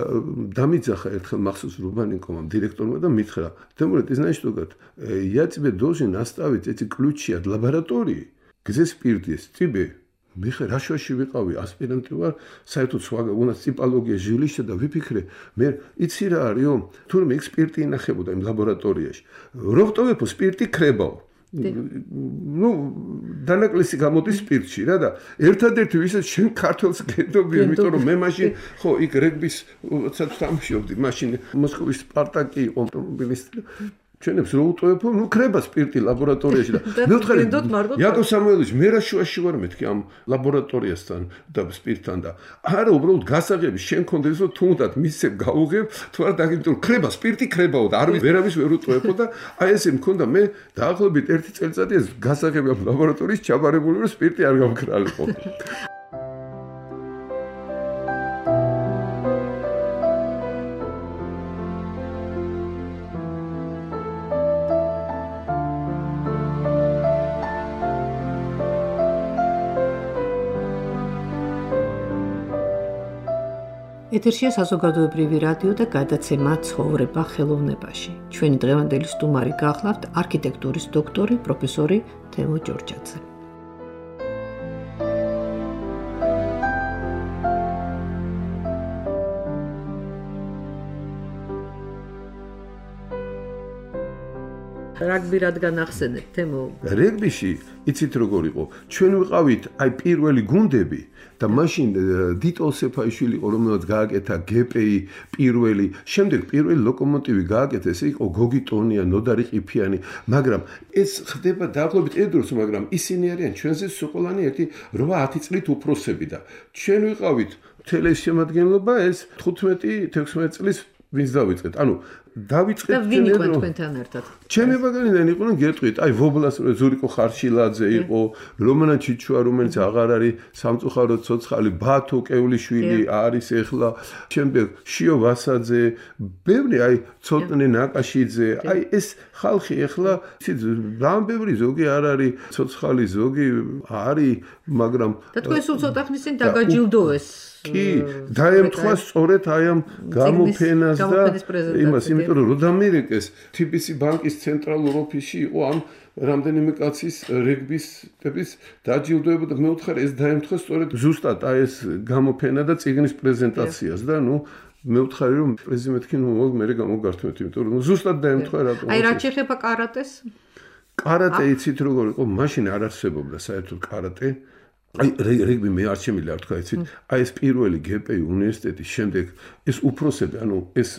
დამიძახა ერთხელ მახსოვს რუბანენკომ დირექტორმა და მითხრა Тимур, ты знаешь, что говорит? Я тебе должен оставить эти ключи от лаборатории, где спирт есть, тебе. Михаил, რაშუაში ვიყავი ასპირანტი ვარ, საერთოდ სხვა უნდა ტიპოლოგია ჟილიშა და ვიფიქრე, მე იცი რა არისო, თურმე იქ სპირტი ინახებოდა იმ ლაბორატორიაში. რო ვტოვებო სპირტი ქრებაო. Ну, დანაკლისი გამოდის სპირტში რა და ერთადერთი ვისაც შენ ქართლს გედობი, იმიტომ რომ მე მაშინ ხო იქ რეგბის თამშობდი, მაშინ მოსკოვის სპარტაკი იყო ავტომობილისტი. ჩვენებს რო უტოვებო, ნუ ქრება სპირტი ლაბორატორიაში და მე ვთხარი იაკოვ სამუელოვიჩი მე რა შუაში ვარ მეთქი ამ ლაბორატორიასთან და სპირტთან და არა უბრალოდ გასაღები შენ კონდეს რომ თუნდაც მისცემ გაუღებ თუ არა დაგიმეთო ქრება სპირტი ქრებაო და არ ვერავის ვერ უტოვებო და აი ესე მქონდა მე დაახლოებით 1 წელიწადი ეს გასაღები ამ ლაბორატორიის ჩაბარებული რომ სპირტი არ გამქრალიყო ეთერშია საზოგადოებრივი რადიო და გადაცემა ცხოვრება ხელოვნებაში. ჩვენი დღევანდელი სტუმარი გახლავთ არქიტექტურის დოქტორი პროფესორი თემო ჯორჯაძე. რაგბი რადგან ახსენეთ, თემო? რეგბიში იცით როგორ იყო? ჩვენ ვიყავით აი პირველი გუნდები და მაშინ დიტო სეფაიშვილი იყო, რომელსაც გააკეთა გპ-ი პირველი, შემდეგ პირველი ლოკომოტივი გააკეთა, ეს იყო გოგი ტონია, ნოდარი ყიფიანი, მაგრამ ეს ხდება დაახლოებით ერთდროს, მაგრამ ისინი არიან ჩვენზე სულ ერთი 8-10 წლით უფროსები და ჩვენ ვიყავით მთელი შემადგენლობა ეს 15-16 წლის ვინც დავიწყეთ. ანუ დავიწყეთ და ვინ იყო თქვენთან ერთად? ჩემი ბაგანიდან იყვნენ გეტყვით, აი ვობლას ზურიკო ხარშილაძე იყო, რომანა ჩიჩუა, რომელიც აღარ არის სამწუხაროდ ცოცხალი, ბათო კევლიშვილი არის ეხლა, შემდეგ შიო ვასაძე, ბევრი აი ცოტნე ნაკაშიძე, აი ეს ხალხი ეხლა ძალიან ბევრი ზოგი არ არის ცოცხალი, ზოგი არის, მაგრამ და თქვენ სულ ცოტა ხნის წინ დაგაჯილდოვეს. კი, დაემთხვა სწორედ აი ამ გამოფენას და იმას, იმიტომ რომ როდამირეკეს TBC ბანკის ცენტრალურ ოფისში იყო ამ რამდენიმე კაცის რეგბისტების დაჯილდოება და მე ვთხარ ეს დაემთხვა სწორედ ზუსტად აი ეს გამოფენა და წიგნის პრეზენტაციას და ნუ მე ვთხარი რომ პრეზიდენტი ნუ მე გამოგართმევთ, იმიტომ რომ ზუსტად დაემთხვა რატომ. აი რაც შეეხება კარატეს? კარატე იცით როგორ იყო? მაშინ არ არსებობდა საერთოდ კარატე. აი რეგბი მე არ შემიძლია არ თქვა იცით აი ეს პირველი გპ-ი უნივერსიტეტის შემდეგ ეს უფროსები ანუ ეს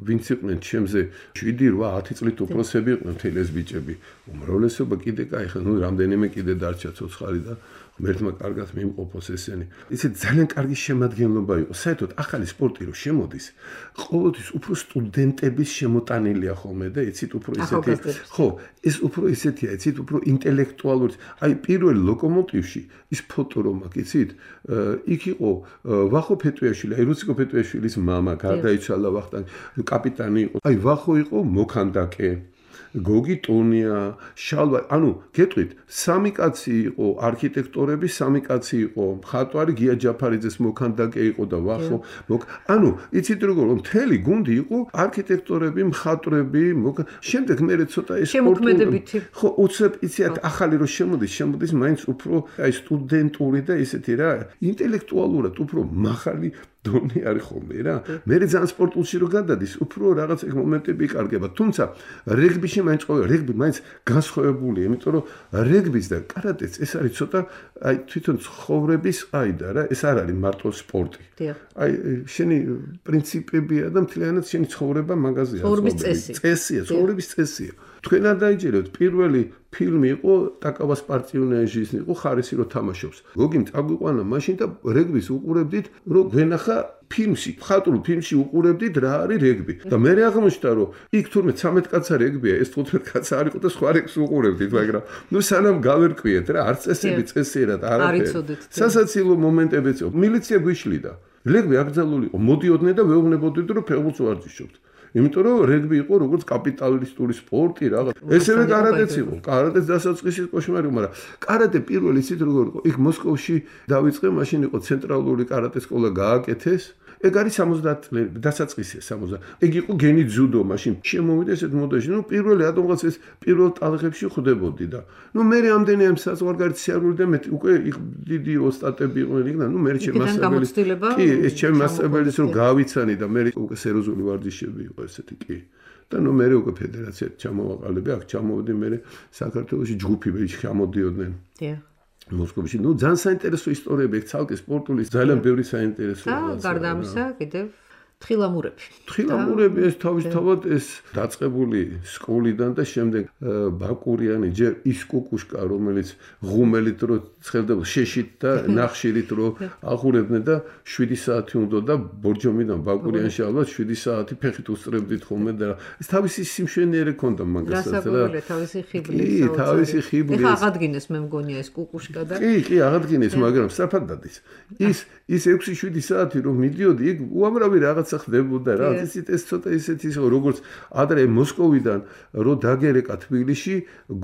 ვინც იყვნენ ჩემზე 7-8 წლით უფროსები იყვნენ მთელი ეს ბიჭები უმრავლესობა კიდე კაი ხა ნუ რამდენიმე კიდე დარჩა ცოცხალი და ღმერთმა კარგად მიიმყოფოს ესენი იცით ძალიან კარგი შემადგენლობა იყო საერთოდ ახალი სპორტი რო შემოდის ყოველთვის უფრო სტუდენტების შემოტანილია ხოლმე და იცით უფრო ისეთი ხო ეს უფრო ისეთია იცით უფრო ინტელექტუალური აი პირველ ლოკომოტივში ის ფოტო რომ აქ იცით იქ იყო ვახო ფეტუიაშვილი აი რუსიკო ფეტუიაშვილის მამა გარდაიცვალა ვახტანგ კაპიტანი იყო აი ვახო იყო მოქანდაკე გოგი ტონია შალვა ანუ გეტყვით სამი კაცი იყო არქიტექტორები სამი კაცი იყო მხატვარი გია ჯაფარიძეს მოქანდაკე იყო და ვახო ანუ იცით როგორ მთელი გუნდი იყო არქიტექტორები მხატვრები შემდეგ მე ცოტა ეს შემოქმედებითი ხო უცებ იცით ახალი რო შემოდის მაინც უფრო აი სტუდენტური და ისეთი რა ინტელექტუალურად უფრო მაღალი დონე არის ხოლმე რა მე ძალიან სპორტულში რო გადადის უფრო რაღაც ეგ მომენტები იკარგება თუმცა რეგბიში მაინც ყოველ რეგბი მაინც განსხვავებულია იმიტომ რომ რეგბის და კარატეს ეს არის ცოტა აი თვითონ ცხოვრების ყაიდა რა ეს არ არის მარტო სპორტი აი შენი პრინციპებია და მთლიანად შენი ცხოვრება მაგაზია ცხოვრების წესია თქვენ არ დაიჭირეთ პირველი ფილმი იყო ტაკავას პარტიუნეჟის იყო ხარისი რო თამაშობს გოგიმ წაგვიყვანა მაშინ და რეგბის უყურებდით რომ გვენახა ფილმში მხატვრულ ფილმში უყურებდით რა არის რეგბი და მე აღმოჩნდა რომ იქ თურმე 13 კაცა რეგბია ეს 15 კაცა არ იყო და სხვა რეგბს უყურებდით მაგრამ ნუ სანამ გავერკვიეთ რა არც წესიერად არაფერი სასაცილო მომენტებიც იყო მილიცია გვიშლიდა რეგბი აკრძალული იყო მოდიოდნენ და ვეუბნებოდით რომ ფეხბურთს ვარჯიშობთ იმიტომ რომ რეგბი იყო როგორც კაპიტალისტური სპორტი რაღაც ესევე კარატეც იყო კარატეს დასაწყისის კოშმარი მაგრამ კარატე პირველი ისიც როგორ იყო იქ მოსკოვში დავიწყე მაშინ იყო ცენტრალური კარატე სკოლა გააკეთეს ეგ არის 70 წლები დასაწყისია 70 ეგ იყო გენი ძუდო მაშინ შემოვიდა ესეთ მოდაში ნუ პირველი რატომღაც ეს პირველ ტალღებში ხვდებოდი და ნუ მე რამდენი ამ საზღვარგარეთ სიარული და მე უკვე იქ დიდი ოსტატები იყვნენ იქ და ნუ მე შემასწავლებელი კი ეს ჩემი მასწავლებლის რომ გავიცანი და მე უკვე სერიოზული ვარჯიშები იყო ესეთი კი და ნუ მე უკვე ფედერაციად ჩამოვაყალიბე აქ ჩამოვედი მე საქართველოში ჯგუფები ჩამოდიოდნენ მოსკოვში ნუ ძალიან საინტერესო ისტორიები ეგ ცალკე სპორტული ძალიან ბევრი საინტერესო რაღაცა და გარდა ამისა კიდევ თხილამურები ეს თავისთავად ეს დაწყებული სკოლიდან და შემდეგ ბაკურიანი ჯერ ის კუკუშკა რომელიც ღუმელით რო ცხელდება შეშით და ნახშირით რო აღურებდნენ და 7 საათი უნდა და ბორჯომიდან ბაკურიანში ალბათ 7 საათი ფეხით უსწრებდით ხოლმე და ეს თავისი სიმშვენიერი ქონდა მაგასაც რა თავისი ხიბლი ეხა აღადგინეს მე მგონია ეს კუკუშკა და კი აღადგინეს მაგრამ სწრაფად დადის ის 6-7 საათი რომ მიდიოდი იქ უამრავი რაღაც ხდებოდა რა ეს ცოტა ისეთი როგორც ადრე მოსკოვიდან რო დაგერეკა თბილისში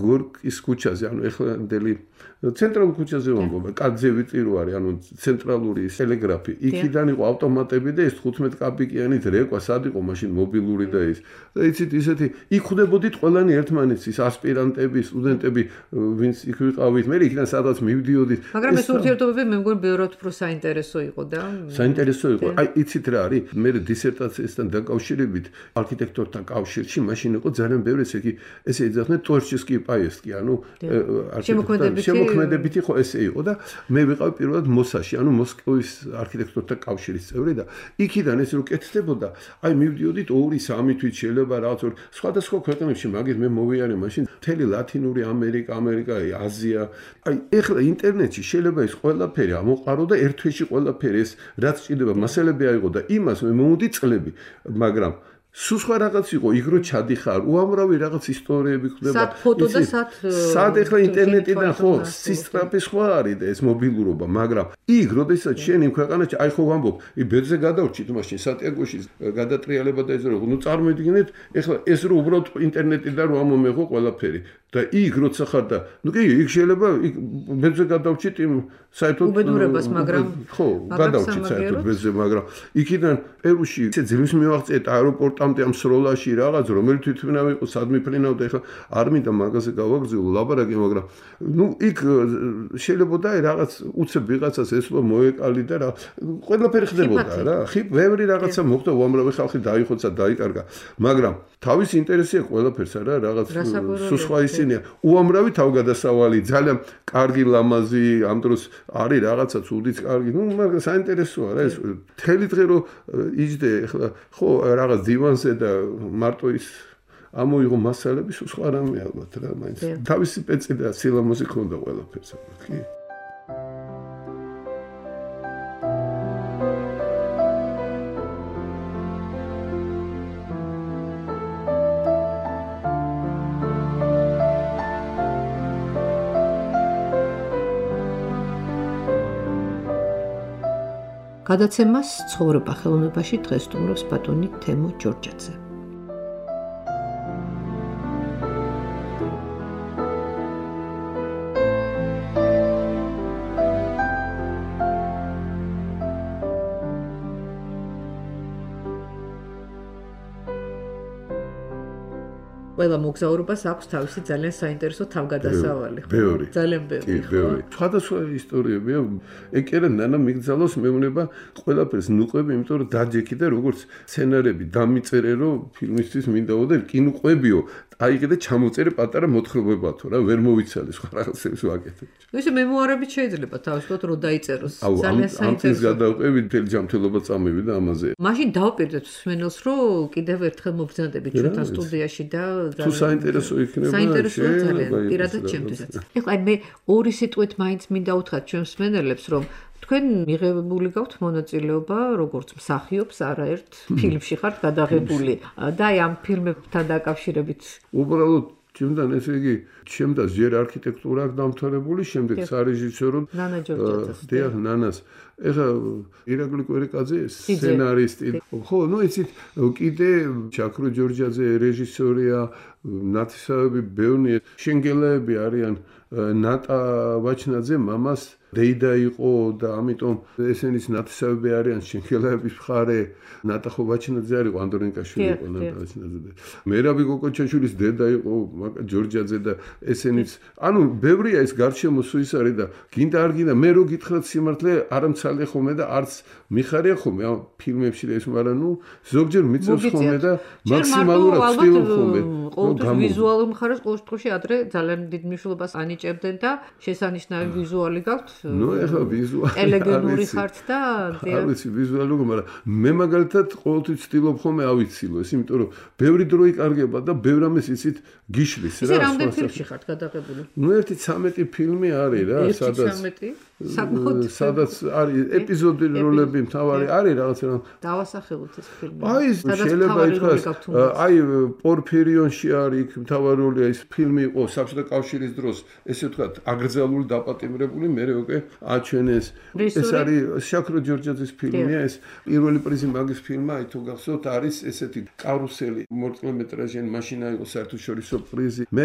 გორკის ქუჩაზე ანუ ეხლანდელი ცენტრალურ ქუჩაზე ვამბობ კაძე ვიწირო არის ანუ ცენტრალური ტელეგრაფი იქიდან იყო ავტომატები და ეს 15 კაპიკიანი დრეკვა სად იყო მაშინ მობილური და ის და იცით ისეთი იქ ხვდებოდით ყველანი ერთმანეთის ასპირანტები სტუდენტები ვინც იქ ვიყავით მე იქიდან სადაც მივდიოდით მაგრამ ეს ურთიერთობები მე მგონი ბევრად უფრო საინტერესო იყო და საინტერესო იყო აი იცით რა არის მე მე დისერტაციასთან დაკავშირებით არქიტექტორთა კავშირში მაშინ იყო ძალიან ბევრი ესე იძახდნენ Творческий поездки, ანუ შემოქმედებითი ხო ესე იყო და მე ვიყავ პირველად მოსაში, ანუ მოსკოვის არქიტექტორთა კავშირის წევრი და იქიდან ეს რო კეთდებოდა, აი მივდიოდით 2-3 თვით შეიძლება რაღაც სხვადასხვა ქვეყნებში, მაგით მე მოვიარე მაშინ მთელი ლათინური ამერიკა, აზია. აი ეხლა ინტერნეტში შეიძლება ის ყველაფერი ამოყარო და ერთ თვეში ყველაფერი ეს რაც ჭირდება მასალები აიღო და იმას მე მომდი წლები, მაგრამ სულ სხვა რაღაც იყო, იქ რო ჩადიხარ, უამრავი რაღაც ისტორიები ხდება. სად ფოტო და სად ეხლა ინტერნეტიდან ხო, სისტრაფე სხვა არის და ეს მობილურობა, მაგრამ იქ როდესაც შენ იმ ქვეყანაში, აი ხო ვამბობ, ბედზე გადავრჩით მაშინ სანტიაგოში გადატრიალება და ეს რო, ნუ წარმოიდგინეთ, ეხლა ეს რო უბრალოდ ინტერნეტიდან რო ამომეღო ყველაფერი. და იქ როცა ხარ და ნუ კი იქ შეიძლება ბედზე გადავრჩით იმ საერთოდ უბედურებას, მაგრამ ხო, გადავრჩით საერთოდ ბედზე, მაგრამ იქიდან პერუში ისე ძილვის მივაღწიეთ აეროპორტამდე ამ სროლაში რაღაც, რომელი თვითმფრინავი იყო, სად მიფრინავდა, ეხლა არ მინდა მაგაზე გავაგრძელო ლაპარაკი, მაგრამ ნუ იქ შეიძლება და რაღაც უცებ ვიღაცას ესლო მოეკალი და რა ყველაფერი ხდებოდა რა. ბევრი რაღაცა მოხდა, უამრავი ხალხი დაიხოცა, დაიკარგა, მაგრამ თავის ინტერესია ყველაფერს არა, რაღაც სუსხვა ისინია. უამრავი თავგადასავალი, ძალიან კარგი ლამაზი, ამ დროს არის რაღაცა ცუდიც კარგი. ნუ მაგრამ საინტერესოა რა ეს. მთელი დღე რო იჯდე, ახლა ხო რაღაც დივანზე და მარტო ის ამოიღო მასალები, სხვა რამე ალბათ რა, მაინც. თავისი პეცი და სილამაზი ქონდა ყველაფერს, კი. გადაცემას ცხოვრება ხელოვნებაში დღეს სტუმრობს ბატონი თემო ჯორჯაძე. ყველა მოგზაურობას აქვს თავისი ძალიან საინტერესო თავგადასავალი. ძალიან ბევრი. სხვადასხვა ისტორიებია. ეკერა ნანა მიგზავნოს მეუბნება ყველაფერს ნუყვები, იმიტომ რომ დაჯექი და როგორც სცენარები დამიწერე, რომ ფილმისთვის მინდაო და კინოყვებიო. აიღე და ჩამოწერე პატარა მოთხრობებათო რა, ვერ მოვიცალე სხვა რაღაცებს ვაკეთებ. ისე მემუარებით შეიძლება თავისუფლად რომ დაიწეროს. ძალიან საინტერესო. გადავყევი მთელი ჯანმრთელობა წამივიდა ამაზე. მაშინ დავპირდეთ მსმენელს, რომ კიდევ ერთხელ მოგზანდებით ჩვენთან სტუდიაში და თუ საინტერესო იქნება, საინტერესოა ძალიან, პირადად ჩემთვისაც. ეხლა მე ორი სიტყვით მაინც მინდა უთხრათ ჩვენ მსმენელებს, რომ თქვენ მიღებული გაქვთ მონაწილეობა როგორც მსახიობს არაერთ ფილმში ხართ გადაღებული და აი ამ ფილმებთან დაკავშირებით უბრალოდ ჩემთან ესე იგი ჩემთან ჯერ არქიტექტურა აქვს დამთავრებული, შემდეგ სარეჟისორო ნანა ჯორჯაძეს. დიახ, ნანას. ეხლა ირაკლი კვერიკაძე სცენარისტი. ხო, ნუ იცით, კიდე ჩაქრო ჯორჯაძე რეჟისორია, ნათესავები ბევრი შენგელაები არიან. ნატა ვაჩნაძე მამას დეიდა იყო და ამიტომ ესენიც ნათესავები არიან შენგელაების მხარე. ნატა ვაჩნაძე არის ანდრონიკაშვილი იყო ნატა ვაჩნაძე. მერაბი კოკოჩაშვილის დედა იყო ჯორჯაძე და ესენიც ანუ ბევრია ეს გარშემო სუის არის და გინდა არ გინდა მე რო გითხრათ სიმართლე არ მცალე ხოლმე და არც მიხარია ხოლმე ამ ფილმებში ეს მაგრამ ნუ ზოგჯერ მიწევს ხოლმე და მაქსიმალურად ვცდილობ ხოლმე ყოველთვის ვიზუალურ მხარეს ყოველ შემთხვევაში ადრე ძალიან დიდ მნიშვნელობას ანიჭებდნენ და შესანიშნავი ვიზუალი გაქვთ ნუ ეხლა ვიზუალი ელეგანტური ხართ და არ ვიცი ვიზუალური მაგრამ მე მაგალითად ყოველთვის ვცდილობ ხოლმე ავიცილო ეს იმიტომ რომ ბევრი დრო იკარგება და ბევრ ამას იცით გიშლის რა ისე რამდენი ფილმში ხართ გადაღებული ნუ 1-13 ფილმი არის რა სადაც არის ეპიზოდი როლები მთავარი არის რაღაც რა დავასახელოთ ეს ფილმი აი შეიძლება ითქვას აი პორფირიონში არის იქ მთავარი როლი ის ფილმი იყო საბჭოთა კავშირის დროს ესე ვთქვათ აკრძალული დაპატიმრებული მე უკვე აჩვენეს ეს არის შაქრო ჯორჯაძის ფილმია ეს პირველი პრიზი მაგის ფილმმა აი თუ გახსოვთ არის ესეთი კარუსელი მორწმუნეტრაჟიანი მაშინა იყო საერთაშორისო პრიზი მე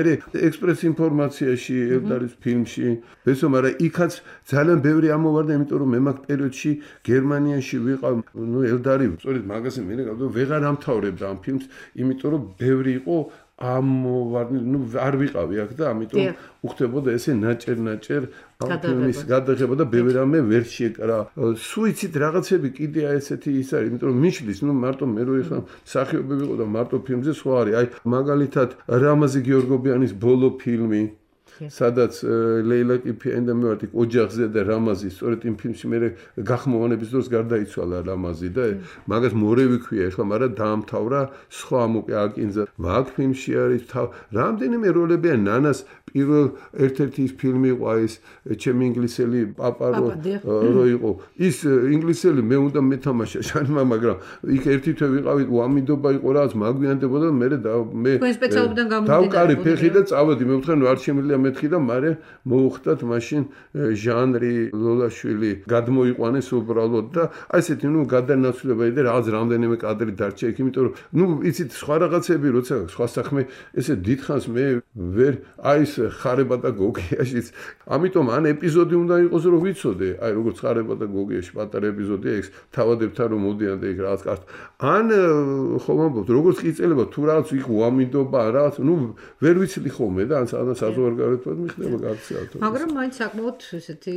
ექსპრეს ინფორმაციაში ელდარის ფილმში ესო მაგრამ იქაც ძალიან ბევრი ამოვარდა იმიტომ რომ მე მაგ პერიოდში გერმანიაში ვიყავ ნუ ელდარი სწორედ მაგაზე მე ვეღარ ამთავრებდა ამ ფილმს იმიტომ რომ ბევრი იყო არ ვიყავი აქ და ამიტომ უხდებოდა ესე ნაჭერ ფილმის გადაღება და ბევრი რამე ვერ შეეკრა. სუიციდ რაღაცები კიდე ესეთი ის არის, იმიტომ რომ მიშლის, მარტო მე რო ეხლა მსახიობი ვიყო და მარტო ფილმზე სხვა არის. აი მაგალითად რამაზი გიორგობიანის ბოლო ფილმი სადაც ლეილა კიფიანი და მე ვარ ოჯახზე და რამაზი სწორედ იმ ფილმში მე გახმოვანების დროს გარდაიცვალა რამაზი და მაგას მორევი ქვია ეხლა მაგრამ დაამთავრა სხვა მოკე აკინზა მაგ ფილმში არის რამდენიმე როლებია ნანას პირველ ერთ-ერთი ის ფილმი იყო ის ჩემი ინგლისელი პაპა რო იყო ის ინგლისელი მე უნდა მეთამაშა შანმა მაგრამ იქ ერთი თვე ვიყავით უამინდობა იყო რაც მაგვიანდებოდა მე თქვენ სპეციალობიდან გამომდინარე დავკარი ფეხი და წავედი მე ვთქვი არ შემიძლია მეთქი და მარე მოუხდათ მაშინ ჟანრი ლოლაშვილი გადმოიყვანეს უბრალოდ და აი ესეთი გადანაცვლება და რაღაც რამდენიმე კადრი დარჩა იქ იმიტომ რომ იცით სხვა რაღაცები როცა სხვა საქმე ესე დიდხანს მე ვერ აი ეს ხარება და გოგიაშიც ამიტომ ან ეპიზოდი უნდა იყოს რომ ვიცოდე აი როგორც ხარება და გოგიაში პატარა ეპიზოდია ეს თავადებთან რომ მოდიან და იქ რაღაც კართ ან ხომ ამბობთ როგორც ყიწელება თუ რაღაც იქ უამინდობა რაღაც ვერ ვიცი ხოლმე და ან საზღვარგარეთ მიხდება გაქცევთ მაგრამ მაინც საკმაოდ ესეთი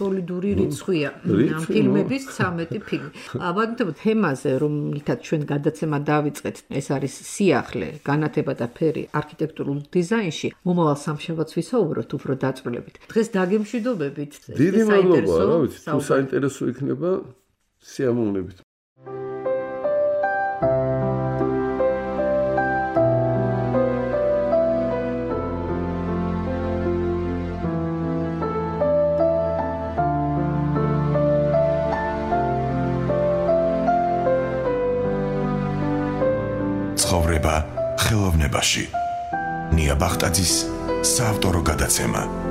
სოლიდური რიცხვია ამ ფილმების 13 ფილმი. ვადმოდებთ თემაზე, რომლითაც ჩვენ გადაცემა დავიწყეთ, ეს არის სიახლე, განათება და ფერი არქიტექტურულ დიზაინში. მომავალ სამშაბათს ვისაუბროთ უფრო დაწვრილებით. დღეს დაგემშვიდობებით. დიდი მადლობა, რა ვიცი, თუ საინტერესო იქნება, სიამოვნებით. ცხოვრება ხელოვნებაში. ნია ბახტაძის საავტორო გადაცემა.